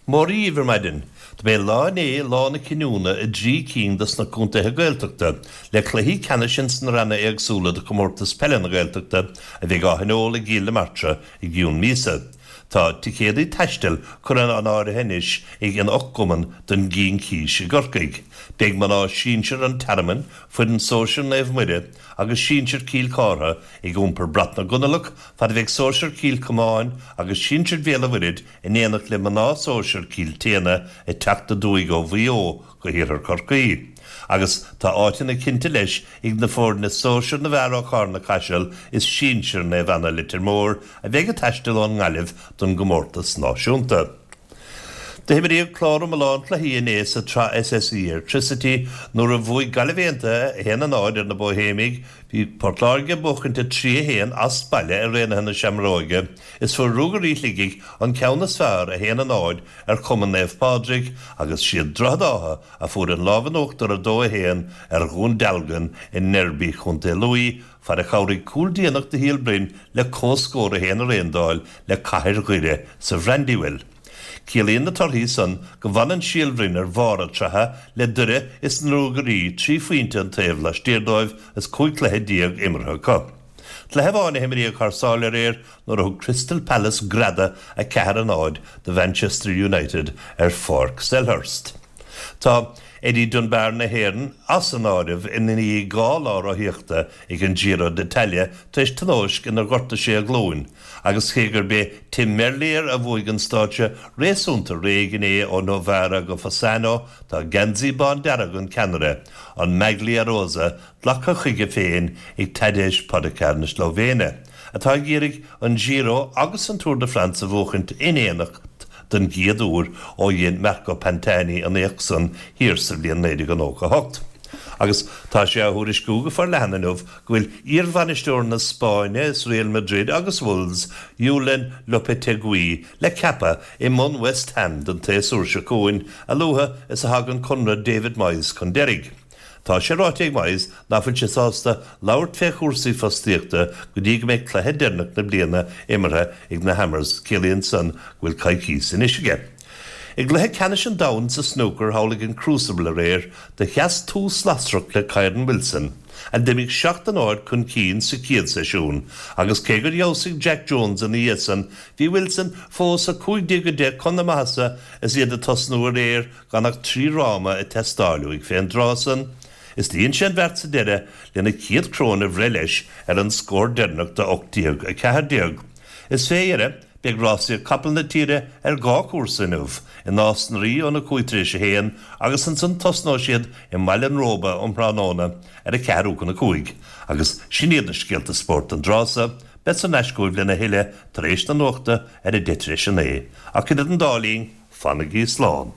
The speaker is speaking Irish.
Mora dhíbh ar maidin. Do b'é lá inné lá na cinniúna i dtrí cinn dos na contaetha Gaeltachta le cluichí ceannais ins na ranna éagsúla de Chomórtas Peile na Gaeltachta a bheidh á thionól i gCill na Martra i gcionn míosa. Tá ticéadaí taistil curtha in áirithe anois ag an 8 gcumann don gCincís i gCorcaigh. Beidh mná sinsir an Tearmainn, foireann sóisir Naomh Muire agus sinsir Cill Chártha ag iompar brat na gConallach fad a bheidh sóisir Chill Chomáin agus sinsir Bhéal a' Mhuirthead in éineacht le mná sóisir Chill tSéadhna ag teacht aduaidh ó Mhaigh Eo go hiarthar Chorcaí. Agus tá áiteanna cinnte leis ag na foirne sóisir na bhfear ó Charna Caiseal is sinsir Naomh Anna Leitir Móir a bheidh ag taisteal ón nGaillimh don gcomórtas náisiúnta. Do himríodh clár iomlán cluichí inné sa tsraith SSE Airtricity nuair a bhuaigh Gaillimh Aontaithe 1-0 ar na Bóihéimigh, bhí Port Láirge ag buachaint 3-1 as baile ar Raonaithe na Seamróige is fuair Ruagairí Shligigh an ceann is fearr 1-0 ar Chumann Naomh Pádraig agus siad Droichead Átha a fuair an lámh in uachtar 2-1 ar Dhún Dealgan i ndeirby Chontae Lú fad a chabhraigh cúl déanach de Shíol Broin le comhscór 1-1 d'fháil le Cathair Dhoire sa Bhrandywell. Ciallaíonn na torthaí san go bhfanann Síol Bhroin ar bharr an tsraithe le Doire is na Ruagairí 3 phointe an taobh laistiar dóibh is 15 cluiche imeartha acu. Cluiche amháin a himríodh thar sáile aréir nuair a thug Crystal Palace greadadh 4-0 do Mhanchester United ar Pháirc Selhurst. Tá Eddie Dunbar na hÉireann as an áireamh i ndiaidh 2 lá rothaíochta ag an Giro d'Italia tar éis tionóisc inar ghortaigh sé a ghlúin agus cé gurb é Tim Merlier a bhuaigh an stáitse réasúnta réidh inné ó Novara go Fossano tá geansaí bándearg an ceannaire, an Maglia Rosa, glactha chuige féin ag Tadej Pogacar na Slóivéine, atá ag iarraidh an Giro agus an Tour de France a bhuachaint in éineacht den gcéad uair ó dhein Marco Pantani an éacht san thiar sa bhliain 1998. Agus tá sé á thuairisciú go forleathan inniu go bhfuil iarbhainisteoir na Spáinne is Real Madrid agus Wolves, Julen Lopetegui, le ceapadh i mbun West Ham don tséasúr seo chugainn, a luaithe is a thagann conradh David Moyes chun deiridh. Tá sé ráite ag Moyes nach bhfuil sé sásta labhairt fé chúrsaí fostaíochta go dtí go mbeidh cluiche deireanach na bliana imeartha ag na Hammers, ciallaíonn san go bhfuil coicíos anois aige. I gcluiche ceannais an domhain sa snúcar thall ag an Crucible aréir, do sheas tús lasrach le Kyren Wilson, a d'imigh 7 a 0 chun cinn sa chéad seisiún, agus cé gur fheabhsaigh Jack Jones ina dhiaidh san, bhí Wilson fós 15-10 chun na maitheasa is iad ag tosnú aréir gan ach 3 fhráma ag teastáil uaidh fén dtráth san, is do dhein sé an bheart sa deireadh lena chéad choróin a bhreith leis ar an scór deireanach de 18-14. Is fé dheireadh, beidh rásaíocht capall na tíre ar dhá chúrsa inniu, i Nás na Rí óna 5 tar éis a haon agus ansan tosnóidh siad i mBaile an Róba um thráthnóna ar a ceathrú chun a cúig. Agus sin iad na scéalta spóirt don dtráth so, bead thar n-ais chugaibh lena thuilleadh tar éis na nuachta ar a deich tar éis a naoi. Ach idir an dá linn, Fanaigí slán.